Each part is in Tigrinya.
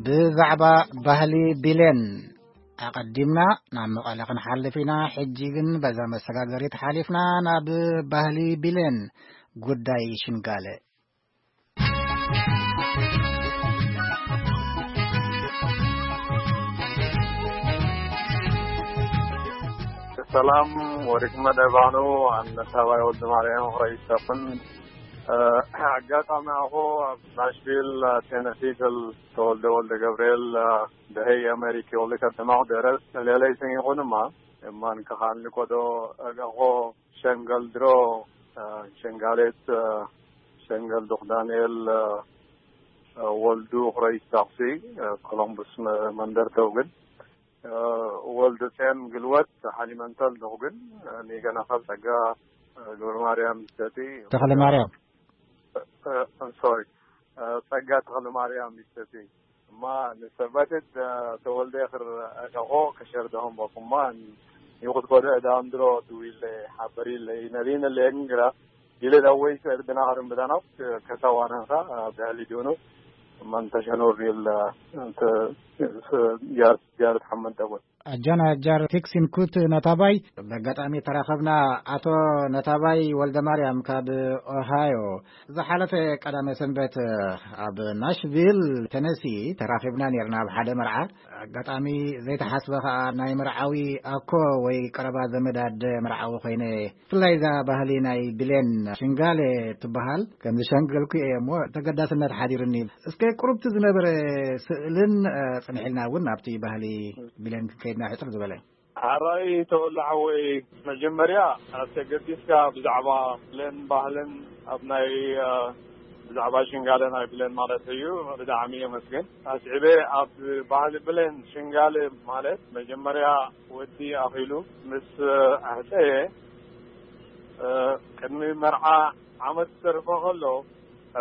ብዛዕባ ባህሊ ቢሌን ኣቐዲምና ናብ መቐለ ክንሓልፍ ኢና። ሕጂ ግን በዛ መሰጋገሪት ሓሊፍና ናብ ባህሊ ቢሌን፣ ጉዳይ ሽንጋለ። ሰላም፣ ወርቅመ ደባኑ፣ ኣነ ታባይ ወልደ ማርያም ሆይሰፍን። ኣጋጣሚ ኣኹ ኣብ ናሽቪል ቴነሲ ተወልደ ወልደ ገብርኤል፣ ደሀይ ኣሜሪኪ ወልደ ከተማኹ ደረስ ለለይ ስን ይኹንማ፣ እማን ከኻን ልቆዶ እገኾ ሸንገል ድሮ፣ ሸንጋሌት፣ ሸንገል ዱኽ ዳንኤል፣ ወልዱ ኽረይ ታኽሲ፣ ኮሎምቡስ መንደር ተውግን፣ ወልዱ ጼን ግልወት ሓሊመንተል ዶኽግን፣ ኒገና ኻብ ጸጋ ገብረ ማርያም ይሰቲ። ተኽለ ማርያም። ሶሪ፣ ጸጋ ተኽለ ማርያም ይሰቲ። እማ ንሰባትት ተወልደ ኽር እኸኾ ከሸር ደሆም በኩማ ይኹት ኮደ እዳም ድሮ ድዊለ ሓበሪለ ይነሪነ ለየግን ግራ ይለ ዳወይ ሰር ድና ኸርን ብዳናው ከሳዋናንኻ ብህሊ ዲሆኑ እማ እንተሸኖር ይል ጃር ጃር ተሐመድ ደቦት። ኣጃን ኣጃር ቴክሲን ኩት ነታባይ በጋጣሚ ተራኸብና። ኣቶ ነታባይ ወልደ ማርያም ካብ ኦሃዮ ዝሓለፈ ቀዳመ ሰንበት ኣብ ናሽቪል ተነሲ ተራኺብና ነርና ኣብ ሓደ መርዓ። ኣጋጣሚ ዘይተሓስበ ኸኣ ናይ መርዓዊ ኣኮ ወይ ቀረባ ዘመድ ኣደ መርዓዊ ኮይነ። ብፍላይ እዛ ባህሊ ናይ ብሌን ሽንጋለ ትበሃል፣ ከም ዝሸንገልኩ እየ እሞ ተገዳስነት ሓዲሩኒ። እስከ ቁሩብቲ ዝነበረ ስእልን፣ እ፣ ጽንሒልና እውን ኣብቲ ባህሊ ብሌን ክንከይድና ሕጽር ዝበለ። ሓራይ ተወላሕ ወይ መጀመርያ ኣብ ተገዲስካ ብዛዕባ ብሌን ባህልን ኣብ ናይ፣ እ፣ ብዛዕባ ሽንጋለ ናይ ብሌን ማለት እዩ ብጣዕሚ የመስግን። ኣስዒበ ኣብ ባህሊ ብሌን ሽንጋለ ማለት መጀመርያ ወዲ ኣኺሉ ምስ ኣሕፀየ፣ እ፣ ቅድሚ መርዓ ዓመት ዝተርፎ ከሎ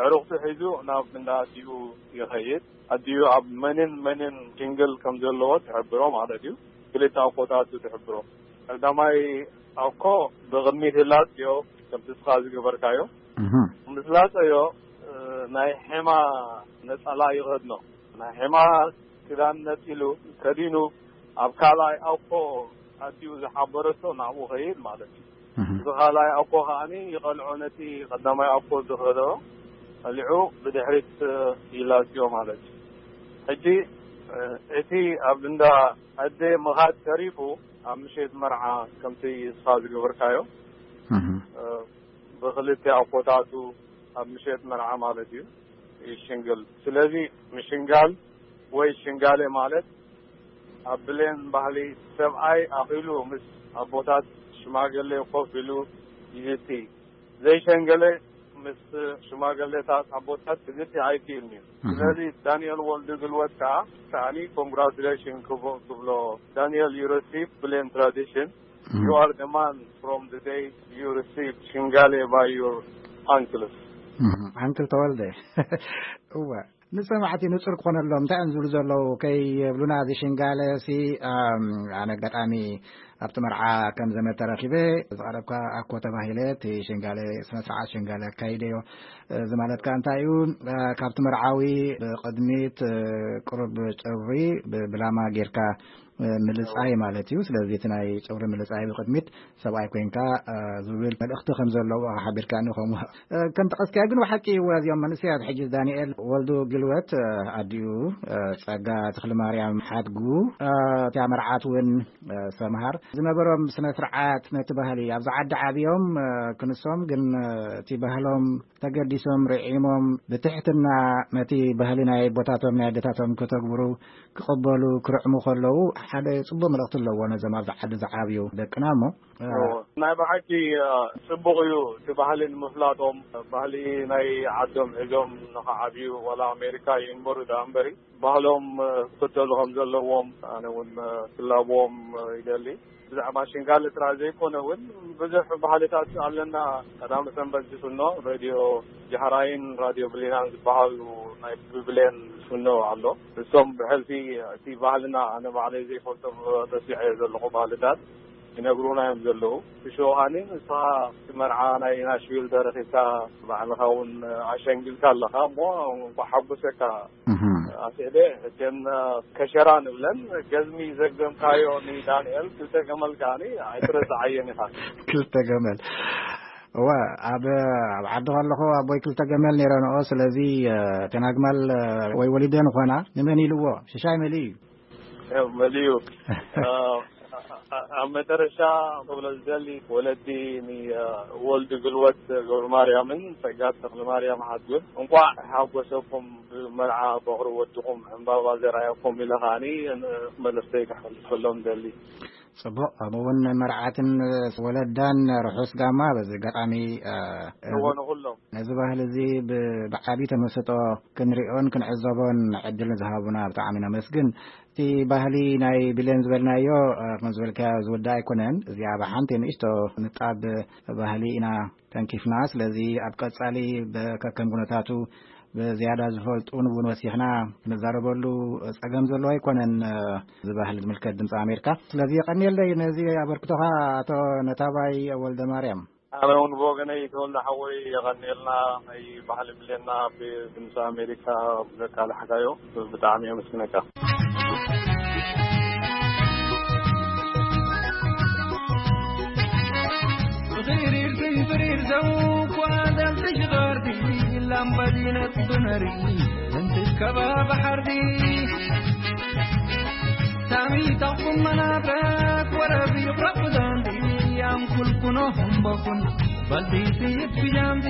ኣዕሩኽቱ ሒዙ ናብ እንዳ ኣዲኡ ይኸይድ። ኣዲኡ ኣብ መንን መንን ሽንግል ከም ዘለዎ ትሕብሮ ማለት እዩ። ክልተ ኣኮታቱ ትሕብሮ። ቀዳማይ ኣኮ ብቕድሚት ይላጽዮ፣ ከምቲ እስኻ ዝገበርካዮ። እህ። ምስ ላጸዮ፣ እ፣ ናይ ሔማ ነጸላ ይኸድኖ። ናይ ሔማ ክዳን ነጺሉ ከዲኑ ኣብ ካልኣይ ኣኮ ኣዲኡ ዝሓበረቶ ናብኡ ኸይድ ማለት እዩ። እህ። እዚ ካልኣይ ኣኮ ከኣኒ ይቐልዖ ነቲ ቀዳማይ ኣኮ ዝኸዶ ቀሊዑ ብድሕሪት ይላጽዮ ማለት እዩ። ሕጂ፣ እ፣ እቲ ኣብ እንዳ ኣደ ምኻድ ተሪፉ ኣብ ምሸት መርዓ ከምቲ እስኻ ዝገበርካዮ፣ እህ። እ፣ ብኽልተ ኣኮታቱ ኣብ ምሸት መርዓ ማለት እዩ ይሽንግል። ስለዚ ምሽንጋል ወይ ሽንጋለ ማለት ኣብ ብሌን ባህሊ ሰብኣይ ኣኺሉ ምስ ኣቦታት ሽማግሌ ኮፍ ኢሉ ይዝቲ። ዘይሸንገለ ምስ ሽማግሌታት ኣቦታት ክዝቲ ኣይክእልን እዩ። እህ። ስለዚ ዳንኤል ወልዱ ግልወት ከኣ ከኣኒ ኮንግራቹሌሽን ክቦ-፣ ክብሎ። ዳንኤል፣ you receive ብሌን ትራዲሽን። እህ። You are the man from the day you receive ሽንጋሌ by your uncles። እህ፣ ኣንክል ተወልደ። እወ፣ ንሰማዕቲ ንጹር ክኾነሎም እንታይ እዮም ዝብሉ ዘለዉ ከይብሉና፣ እዚ ሽንጋለ ሲ፣ ኣም፣ ኣነ ኣጋጣሚ ኣብቲ መርዓ ከም ዘመድ ተረኺበ፣ ዝቐረብካ ኣኮ ተባሂለ፣ እቲ ሽንጋለ፣ ስነ ስርዓት ሽንጋለ ኣካይደዮ። እዚ ማለት ከኣ እንታይ እዩ? እ፣ ካብቲ መርዓዊ ብቕድሚት፣ እ፣ ቁሩብ ጨውሪ ብ-፣ ብላማ ጌርካ፣ እ፣ ምልጻይ ማለት እዩ። ስለዚ እቲ ናይ ጨውሪ ምልጻይ ብቕድሚት ሰብኣይ ኮይንካ፣ እ፣ ዝብል መልእኽቲ ከም ዘለዎ ሓቢርካኒ ከምኡ። እ፣ ከም ጠቐስካዮ ግን ብሓቂ እዩ፣ እዚኦም መንእሰያት ሕጂ ዳንኤል ወልዱ ግልወት፣ እ፣ ኣዲኡ፣ እ፣ ጸጋ ተኽለማርያም ሓድጉ፣ እ፣ እቲኣ መርዓት እውን፣ እ፣ ሰምሃር ዝነበሮም ስነ ስርዓት ነቲ ባህሊ ኣብዚ ዓዲ ዓብዮም፣ እ፣ ክንሶም ግን፣ እ፣ እቲ ባህሎም ተገዲሶም ርዒሞም ብትሕትና ነቲ ባህሊ ናይ ኣቦታቶም ናይ ኣዴታቶም ከተግብሩ ክቕበሉ ክርዕሙ ከለዉ ሓደ ጽቡቕ መልእኽቲ ኣለዎ ነዞም ኣብዚ ዓዲ ዝዓብዩ ደቅና እሞ። እዎ። ናይ ብሓቂ፣ እ፣ ጽቡቕ እዩ እቲ ባህሊ ንምፍላጦም፣ ባህሊ ናይ ዓዶም ሒዞም ንኽዓብዩ ዋላ ኣሜሪካ ይንበሩ ደኣ እምበሪ ባህሎም፣ እ፣ ክኽተሉ ከም ዘለዎም ኣነ እውን፣ እ፣ ክላብዎም፣ እ፣ ይደሊ። ብዛዕባ ሽንጋሊ ጥራይ ዘይኮነ እውን ብዙሕ ባህልታት ኣለና። ቀዳመ ሰንበት ዝፍኖ ሬድዮ ጃህራይን ራድዮ ብሊናን ዝበሃሉ ናይ ብብሌን ዝፍኖ ኣሎ። እሶም ብሕልፊ እቲ ባህልና ኣነ ባዕለይ ዘይፈልጦም ረሲዐ ዘለኹ ባህልታት ይነግሩና እዮም ዘለዉ። ብሽውሃኒ ንስኻ እቲ መርዓ ናይ ናሽቪል ተረኺብካ፣ ባዕልኻ እውን ኣሸንጊልካ ኣለኻ እሞ፣ እንኳዕ ሓጎሰካ። ኣስዕደ እተን ከሸራ ንብለን፣ ገዝሚ ዘግዘምካዮ ንዳንኤል ክልተ ገመል ከዓኒ ኣይትረስዓየን ኢኻ። ክልተ ገመል። እወ፣ ኣብ ኣብ ዓዲ ከለኹ ኣቦይ ክልተ ገመል ነይረንኦ። ስለዚ እተን ኣግማል ወይ ወሊደን ኾና፣ ንመን ኢልዎ? ሽሻይ መሊኡ እዩ። መሊኡ። ኣብ መጨረሻ ክብሎ ዝደሊ፣ ወለዲ ንወልዲ ግልወት ገብረ ማርያምን ጸጋት ተኽለ ማርያም ሓድጉን እንኳዕ ሓጎሰኩም፣ ብመርዓ በቕሪ ወድኹም ዕምባባ ዘርኣየኩም ኢለ ከዓኒ መልእኽተይ ከሕልፈሎም ደሊ። ጽቡቕ። ከምኡ እውን መርዓትን ወለዳን ርሑስ ጋማ። በዚ ኣጋጣሚ እዎ፣ ንኹሎም። ነዚ ባህሊ እዚ ብ- ብዓቢ ተመስጦ ክንሪኦን ክንዕዘቦን ዕድል ዝሃቡና ብጣዕሚ ነመስግን። እቲ ባህሊ ናይ ብሌን ዝበልናዮ፣ ከም ዝበልካዮ ዝውዳእ ኣይኮነን። እዚኣ ብሓንቲ ንእሽቶ ንጣብ ባህሊ ኢና ተንኪፍና። ስለዚ ኣብ ቀጻሊ በ- ከከም ኩነታቱ ብዝያዳ ዝፈልጡ ንብውን ወሲኽና ክንዛረበሉ ጸገም ዘለዎ ኣይኮነን። እዚ ባህሊ ዝምልከት ድምፂ ኣሜሪካ። ስለዚ የቐንየለይ ነዚ ኣበርክቶኻ ኣቶ ነታባይ ወልደ ማርያም። ኣነ እውን ብወገነይ ተወልደ ሓወይ የቐንየልና፣ ናይ ባህሊ ብሌና ብድምፂ ኣሜሪካ ዘቃልሕካዮ ብጣዕሚ የመስግነካ። ብኽሪር ትንፍሪር ዘው ኳ ደምቲ ሽቐርዲ ላምባዲነት ብነሪ እንትከባ ባሕርዲ ታሚ ታኹም መናፍረት ወረቢ ይቕረብ ዛንዲ ኣም ኩልኩኖ ሁምበኹን በልዲ ስይድ ብጃንዲ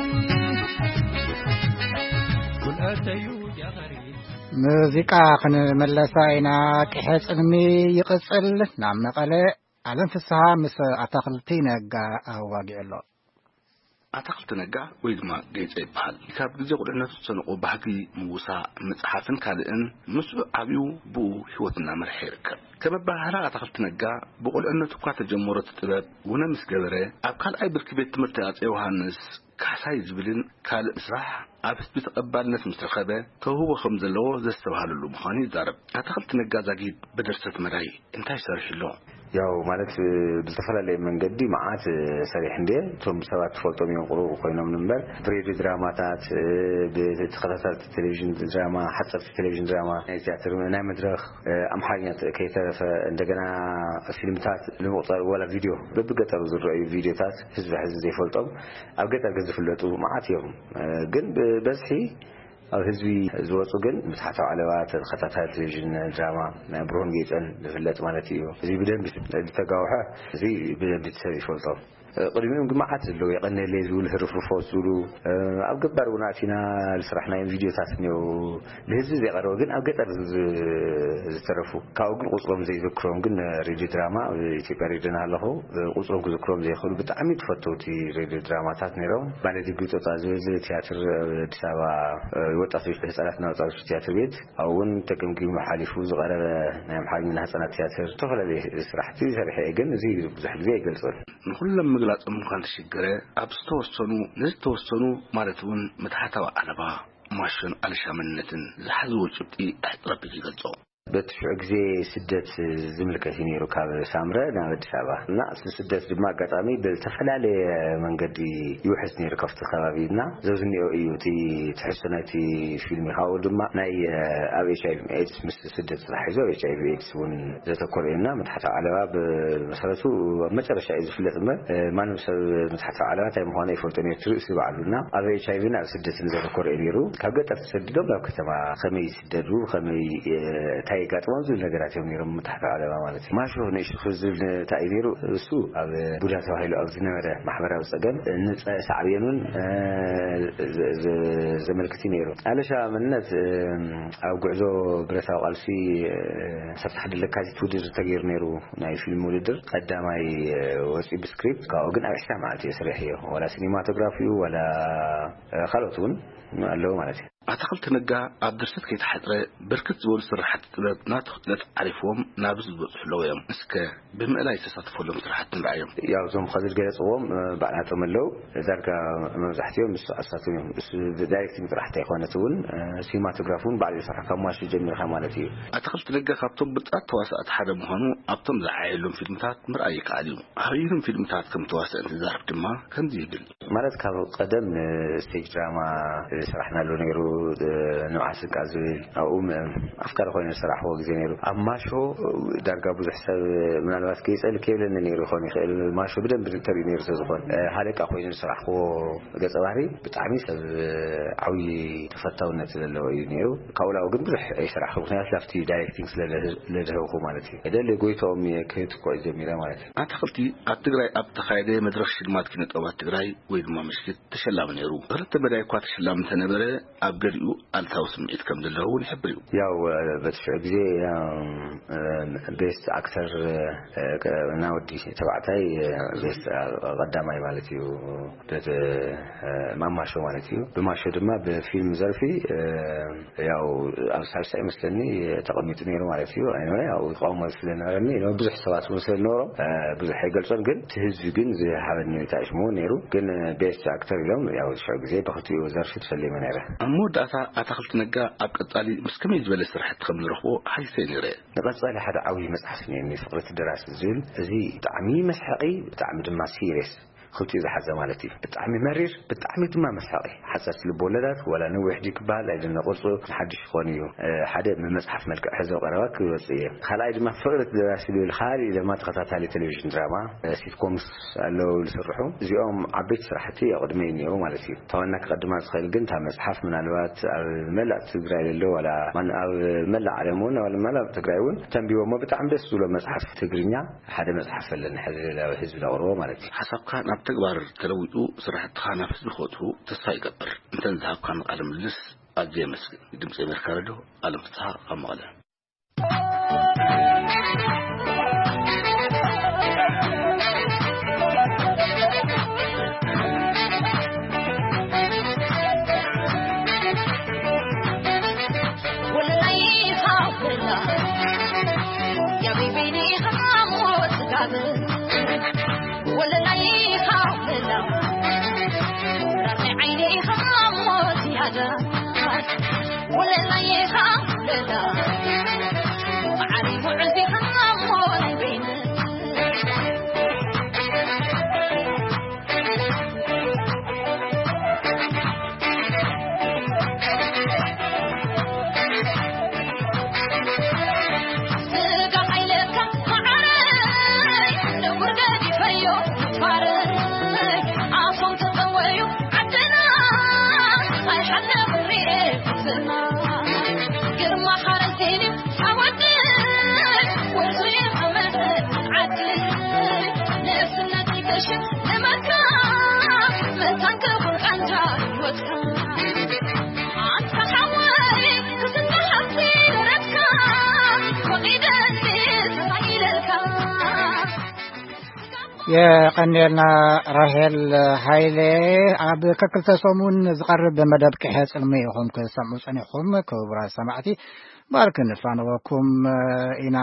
ኩልአተዩ ጃኸሪ ሙዚቃ ክንመለሳ ኢና። ቅሐ ጽልሚ ይቕጽል። ናብ መቐለ ኣለም ፍስሃ ምስ ኣታኽልቲ ነጋ ኣዋጊዑ ኣሎ። ኣታኽልቲ ነጋ ወይ ድማ ጌጸ ይበሃል። ካብ ግዜ ቁልዕነቱ ዝሰነቆ ባህጊ ምውሳእ፣ ምጽሓፍን ካልእን ምስኡ ዓብዩ ብኡ ህይወት እናመርሐ ይርከብ። ከም ኣበሃህላ ኣታኽልቲ ነጋ ብቁልዕነቱ እኳ ተጀመሮ እቲ ጥበብ ውነ ምስ ገበረ ኣብ ካልኣይ ብርኪ ቤት ትምህርቲ ኣጼ ዮሃንስ ካሕሳይ ዝብልን ካልእ ስራሕ ኣብ ህዝቢ ተቐባልነት ምስ ረኸበ ተውህቦ ከም ዘለዎ ዘስተብሃለሉ ምዃኑ ይዛረብ። ኣታኽልቲ ነጋ ዛጊድ ብድርሰት መዳይ እንታይ ሰሪሑ ኣሎ? ያው ማለት ብዝተፈላለየ መንገዲ መዓት ሰሪሕ እንደ እቶም ሰባት ትፈልጦም እዮም ቅሩብ ኮይኖም እምበር ብሬድዮ ድራማታት ብተኸታታልቲ ቴሌቪዥን ድራማ ሓፀርቲ ቴሌቪዥን ድራማ ናይ ቲያትር ናይ መድረኽ ኣምሓርኛ ከይተረፈ እንደገና ፊልምታት ንምቁፃር ወላ ቪድዮ በብገጠሩ ዝረኣዩ ቪድዮታት ህዝቢ ሕዚ ዘይፈልጦም ኣብ ገጠር ግን ዝፍለጡ መዓት እዮም። ግን ብበዝሒ ኣብ ህዝቢ ዝወፁ ግን ምትሓታዊ ዓለባ ተኸታታሊ ቴሌቪዥን ድራማ ናይ ብርሆን ጌፀን ዝፍለጥ ማለት እዩ። እዚ ብደንብ ዝተጋውሐ እዚ ብደንብ ሰብ ይፈልጦ። ቅድሚኦም ግን መዓት ዘለዉ የቐነለይ ዝብሉ ህርፍርፎት ዝብሉ ኣብ ገባር እውን ኣቲና ዝስራሕናዮም ቪድዮታት እኒው ንህዝቢ ዘይቀረበ ግን ኣብ ገጠር ዝተረፉ ካብኡ ግን ቁፅሮም ዘይዘክሮም ግን ሬድዮ ድራማ ኣብ ኢትዮጵያ ሬድዮ እናሃለኹ ቁፅሮም ክዝክሮም ዘይኽእሉ ብጣዕሚ ተፈተውቲ ሬድዮ ድራማታት ነይሮም። ባለዲ ግጦጣ ዝብል ቲያትር ኣብ ኣዲስ ኣበባ ወጣቶች ህፃናትና ወጣቶች ቲያትር ቤት ኣብኡ እውን ተገምጊሙ ሓሊፉ ዝቐረበ ናይ ኣምሓርኛ ንህፃናት ቲያትር ዝተፈላለዩ ስራሕቲ ሰሪሐ እየ። ግን እዚ ብዙሕ ግዜ ኣይገልፆን። ንኹሎም ምግላፆም እኳ እንተሸገረ ኣብ ዝተወሰኑ ንዝተወሰኑ ማለት እውን ምትሓታዊ ዓለባ ማሾን ኣልሻምነትን ዝሓዝዎ ጭብጢ ኣሕፅረቢት ይገልፆ። በቲ ሽዑ ግዜ ስደት ዝምልከት እዩ ነይሩ ካብ ሳምረ ናብ ኣዲስ ኣበባ እና እቲ ስደት ድማ ኣጋጣሚ ብዝተፈላለየ መንገዲ ይውሕዝ ነይሩ ካብቲ ከባቢ እና ዘዝኒኦ እዩ እቲ ትሕዝቶ ናይቲ ፊልም ካብኡ ድማ ናይ ኣብ ኤች ኣይቪ ኤድስ ምስ ስደት ተታሒዙ ኣብ ኤች ኣይቪ ኤድስ እውን ዘተኮረ እዩ እና መትሓታዊ ዓለባ ብመሰረቱ ኣብ መጨረሻ እዩ ዝፍለጥ እምበር ማንም ሰብ መትሓታዊ ዓለባ እንታይ ምዃኑ ኣይፈልጦ ነይሩ እቲ ርእሲ ባዕሉ እና ኣብ ኤች ኣይቪ ናብ ስደትን ዘተኮረ እዩ ነይሩ ካብ ገጠር ተሰዲዶም ናብ ከተማ ከመይ ይስደዱ ከመይ እንታይ የጋጥሞም ዝብል ነገራት እዮም ነይሮም መትሓታዊ ዓለባ ማለት እዩ ማሾ ነይሹ ዝብል እንታይ እዩ ነይሩ እሱ ኣብ ቡዳ ተባሂሉ ኣብ ዝነበረ ማሕበራዊ ፀገም ንፀ ሳዕቤኑን ዘመልክት እዩ ነይሩ ኣለሻ መንነት ኣብ ጉዕዞ ብረታዊ ቃልሲ ሰብቲ ሓደ ለካቲት ውድድር ተገይሩ ነይሩ ናይ ፊልም ውድድር ቀዳማይ ወፂ ብስክሪፕት ካብኡ ግን ኣብ ዕስራ መዓልቲ እየ ስሪሐዮ ዋላ ሲኒማቶግራፊ ዋላ ካልኦት እውን ኣለዉ ማለት እዩ። ኣታኽልቲ ነጋ ኣብ ድርሰት ከይተሓጽረ፣ ብርክት ዝበሉ ስራሕቲ ጥበብ ናቱ ክእለት ዓሪፍዎም ናብ ህዝቢ ዝበጽሑ ኣለዉ እዮም። እስከ ብምእላይ ዝተሳተፈሎም ስራሕቲ ንርኣዮም። ያው እዞም ከዚ ዝገለጽዎም፣ እ፣ ባዕላቶም ኣለዉ። ዳርጋ መብዛሕትኦም ንሱ ኣሳትም እዮም። እሱ ዳይሬክቲንግ ጥራሕ እንተይኮነት እውን፣ እ፣ ሲኒማቶግራፍ እውን ባዕሉ ይሰርሕ፣ ካብ ማሹ ጀሚርካ ማለት እዩ። ኣታኽልቲ ነጋ ካብቶም ብሉጻት ተዋሳእቲ ሓደ ምዃኑ ኣብቶም ዝዓየሎም ፊልምታት ምርኣይ ይከኣል እዩ። ኣበየኖም ፊልምታት ከም ተዋስአ እንትዛረብ ድማ ከምዚ ይብል። ማለት ካብ ቀደም ንስቴጅ ድራማ ዝሰራሕናሉ ነይሩ፣ እ፣ ንብዓት ስንቃ ዝብል ኣብኡ ም-፣ ኣፍቃሪ ኮይኑ ዝሰራሕዎ ግዜ ነይሩ። ኣብ ማሾ ዳርጋ ብዙሕ ሰብ ምናልባት ገይጸሉ ከይብለኒ ነይሩ ይኸውን ይኽእል። ማሾ ብደንብ እንተርእዩ ነይሩ ስለ ዝኾነ፣ እ፣ ሃለቃ ኮይኑ ዝሰራሕዎ ገጸ ባህሪ ብጣዕሚ ሰብ፣ እ፣ ዓብዪ ተፈታውነት ዘለዎ እዩ ነይሩ። ካብኡ ላው ግን ብዙሕ ኣይሰራሕኩ፣ ምኽንያቱ ላፍቲ ዳይሬክቲንግ ስለ ለድህብኩ ማለት እዩ። ደሊ ጎይቶኦም እየ ክህትኮ ጀሚረ ማለት እዩ። ኣታኽልቲ ኣብ ትግራይ ኣብ ተኻየደ መድረኽ ሽልማት ኪነ ጥበባት ትግራይ ወይ ድማ ምሽክት ተሸላሚ ነይሩ። ክልተ መዳይ እኳ ተሸላሚ እንተነበረ፣ ኣብ ገሊኡ ኣልታዊ ስምዒት ከም ዘለዎ እውን ይሕብር እዩ። ያው፣ እ፣ በቲ ሽዑ ግዜ፣ እ፣ እ፣ ቤስት ኣክተር፣ እ፣ እ፣ እና ወዲ ተባዕታይ፣ እ፣ ቤስት፣ እ፣ ቀዳማይ ማለት እዩ። በቲ፣ እ፣ ማማሾ ማለት እዩ። ብማሾ ድማ ብፊልም ዘርፊ፣ እ፣ ያው ኣብ ሳልሳይ መስለኒ ተቐሚጡ ነይሩ ማለት እዩ። ኣይነ ያው ይቃወሞ ስለነበረኒ፣ ብዙሕ ሰባት እውን ስለዝነበሮም፣ እ፣ ብዙሕ ኣይገልጾን፣ ግን እቲ ህዝቢ ግን ዝሃበኒ ታሽሙ ነይሩ። ግን ቤስት ኣክተር ኢሎም ያው ሽዑ ግዜ ብኽልቲኡ ዘርፊ ተሸሊመ ነይረ። ኣብ መወዳእታ ኣታኽልቲ ነጋ ኣብ ቀጻሊ ምስ ከመይ ዝበለ ስራሕቲ ከም ዝረኽቦ ሓሲሰ ነይረ። ንቐጻሊ ሓደ ዓብዪ መጽሓፍ እኒአኒ፣ ፍቕሪ እቲ ደራሲ ዝብል። እዚ ብጣዕሚ መስሓቂ፣ ብጣዕሚ ድማ ሲሪየስ፣ ክልቲኡ ዝሓዘ ማለት እዩ። ብጣዕሚ መሪር፣ ብጣዕሚ ድማ መስሓቂ። ሓጸርቲ ልብ ወለዳት፣ ዋላ ነዊሕ ድዩ ክበሃል ኣይደነ ቅርጹ፣ ንሓድሽ ክኾን እዩ። እ፣ ሓደ ብመጽሓፍ መልክዕ ሕዘ ቀረባ ክወጽእ እየ። ካልኣይ ድማ ፍቕሪ እቲ ደራሲ ዝብል ካልእ ድማ ተኸታታሊ ቴሌቪዥን ድራማ፣ እ፣ ሲትኮምስ ኣለዉ ዝስርሑ። እዚኦም ዓበይቲ ስራሕቲ ኣቕድመይ እኒአው ማለት እዩ። እታ ዋና ክቐድማ ዝኽእል ግን እታ መጽሓፍ ምናልባት ኣብ መላእ ትግራይ ዘሎ ዋላ ማን ኣብ መላእ ዓለም እውን ዋላ መላእ ትግራይ እውን ተንቢቦሞ ብጣዕሚ ደስ ዝብሎ መጽሓፍ ትግርኛ ሓደ መጽሓፍ ኣለኒ ሕዚ ናብ ህዝቢ ዘቕርቦ ማለት እዩ። ሓሳብካ ናብ ተግባር ተለዊጡ ስራሕትኻ ናብ ህዝቢ ክበጽሑ ተስፋ ይገብር። እንተን ዝሃብካኒ ቃለ ምልልስ ኣዝየ የመስግን። ድምፂ ኣሜሪካ ሬድዮ፣ ኣለም ፍስሓ ካብ መቐለ። የቐንየልና ራሄል ሃይለ። ኣብ ከክልተ ሰሙን ዝቐርብ መደብ ቅሐ ጽልሚ ኢኹም ክትሰምዑ ጸኒሕኩም። ክቡራት ሰማዕቲ፣ ባር ክንፋነወኩም ኢና።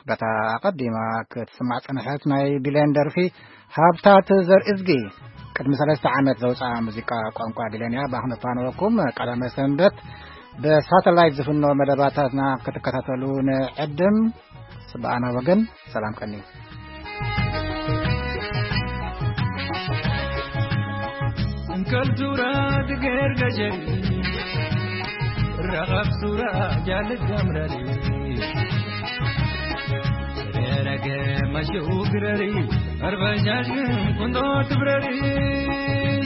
በታ ኣቐዲማ ክትስማዕ ጸንሐት ናይ ቢሌን ደርፊ ሃብታት ዘርእዝጊ ቅድሚ ሰለስተ ዓመት ዘውፅኣ ሙዚቃ ቋንቋ ቢሌን እያ። ባር ክንፋነወኩም ቀዳመ ሰንበት ብሳተላይት ዝፍኖ መደባታትና ክትከታተሉ ንዕድም። ጽባኣና ወገን ሰላም ቀኒ። እንከል ሱራ ትገር ገጀሪ፣ ረኸብ ሱራ ጃልት ገምረሪ፣ ረገ መሸው ግረሪ፣ ኣርበጃጅን ቁንዶ ትብረሪ፣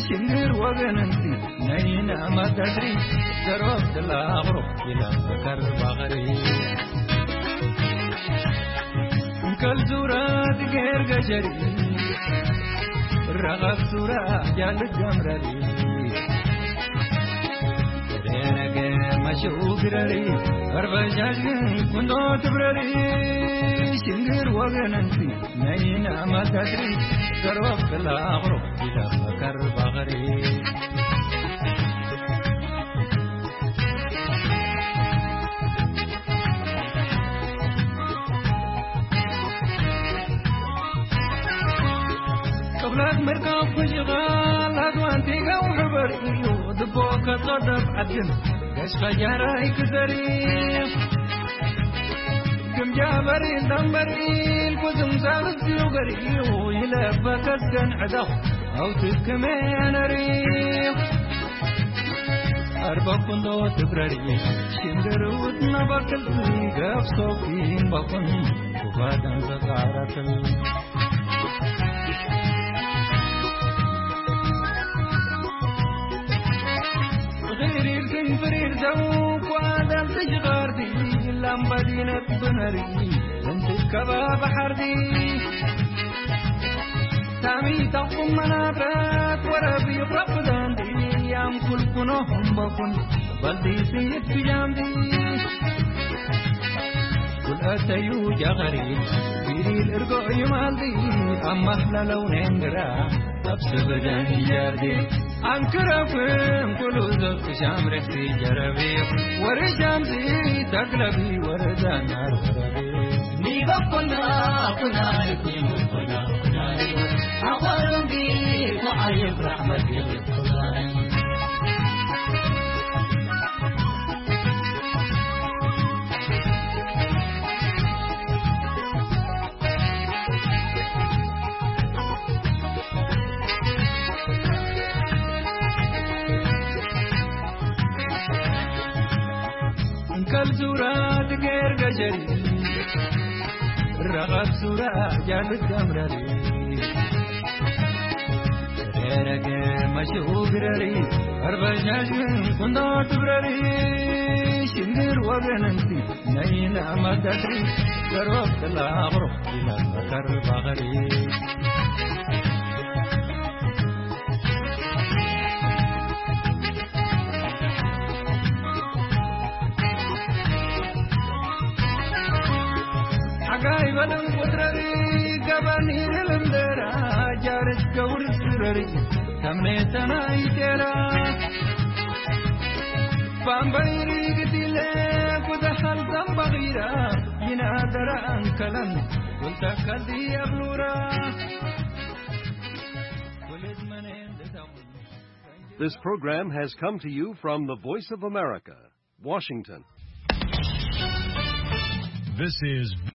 ሽንግር ወገንንቲ ነይና ማታትሪ፣ ዘሮብ ትላኽሮ ኢላ ከርባኸሪ። እንከል ዙራ ትገር ገጀሪ፣ ረኸብ ሱራ ጃልት ገምረሪ፣ ደረገ መሸው ግረሪ፣ ኣርበጃጅን ቁንዶ ትብረሪ፣ ሽንግር ወገንንቲ ነይና ማታትሪ፣ ዘሮብ ትላኽሮ ኢላ ከርባኸሪ። ምርካብ ክጅቓል ኣትዋንቲ ገው ሕበር እዩ ድቦ ከጸደብ ዓድን ገሽ ኸጃራይ ክዘሪ ግምጃ በሪ እንዳንበሪ ኩዝም ዛብዝዩ ገር እዩ ይለበከስገን ዕዳው ኣውትክመ ነሪ ኣርበኩንዶ ትብረሪ ሽንድርውት ነበክል ገብሶ ኪንበኩን ኩባዳን ዘቃረክል غير يمكن فرير زو وادم تجغاردي لام بدينة بنري انت كباب حردي تامي تقوم منابرات وربي رفضان دي يام كل كنوهم بكون بلدي سيد في جامدي كل أتيو جغري بيري الإرقو يمالدي أما أحلى لون عندرا أبسبدان جاردي أنكركم كل زوج شامرك في جربي ورجامدي تقلبي وردان عربي نيغا كنا كنا كنا كنا أقوالهم بي وعيب رحمة بي እንከል ዙራ ትገር ገጀሪ ረቐብ ዙራ ጃልት ገምረሪ ደረገ መሽኡ ግረሪ ኣርበሻሽን ኩንዶ ትብረሪ ሽግር ወገንንቲ ነይና መደትሪ ገሮብ ክላቕሮ ይመመኸር ባኸሪ ሓጋይ በለን ቁድረሪ ገበን ይልምደራ ጃርስ ገውር ስረሪ ከምኔተና ይቴራ ባምበይሪ ግዲለ ኩደሃል ዘንበኺራ ይናደራ ኣንከለን ጉልተከልዲ የብሉራ ወለድ መነ እንደታሙ This program has come to you from the Voice of America, Washington. This is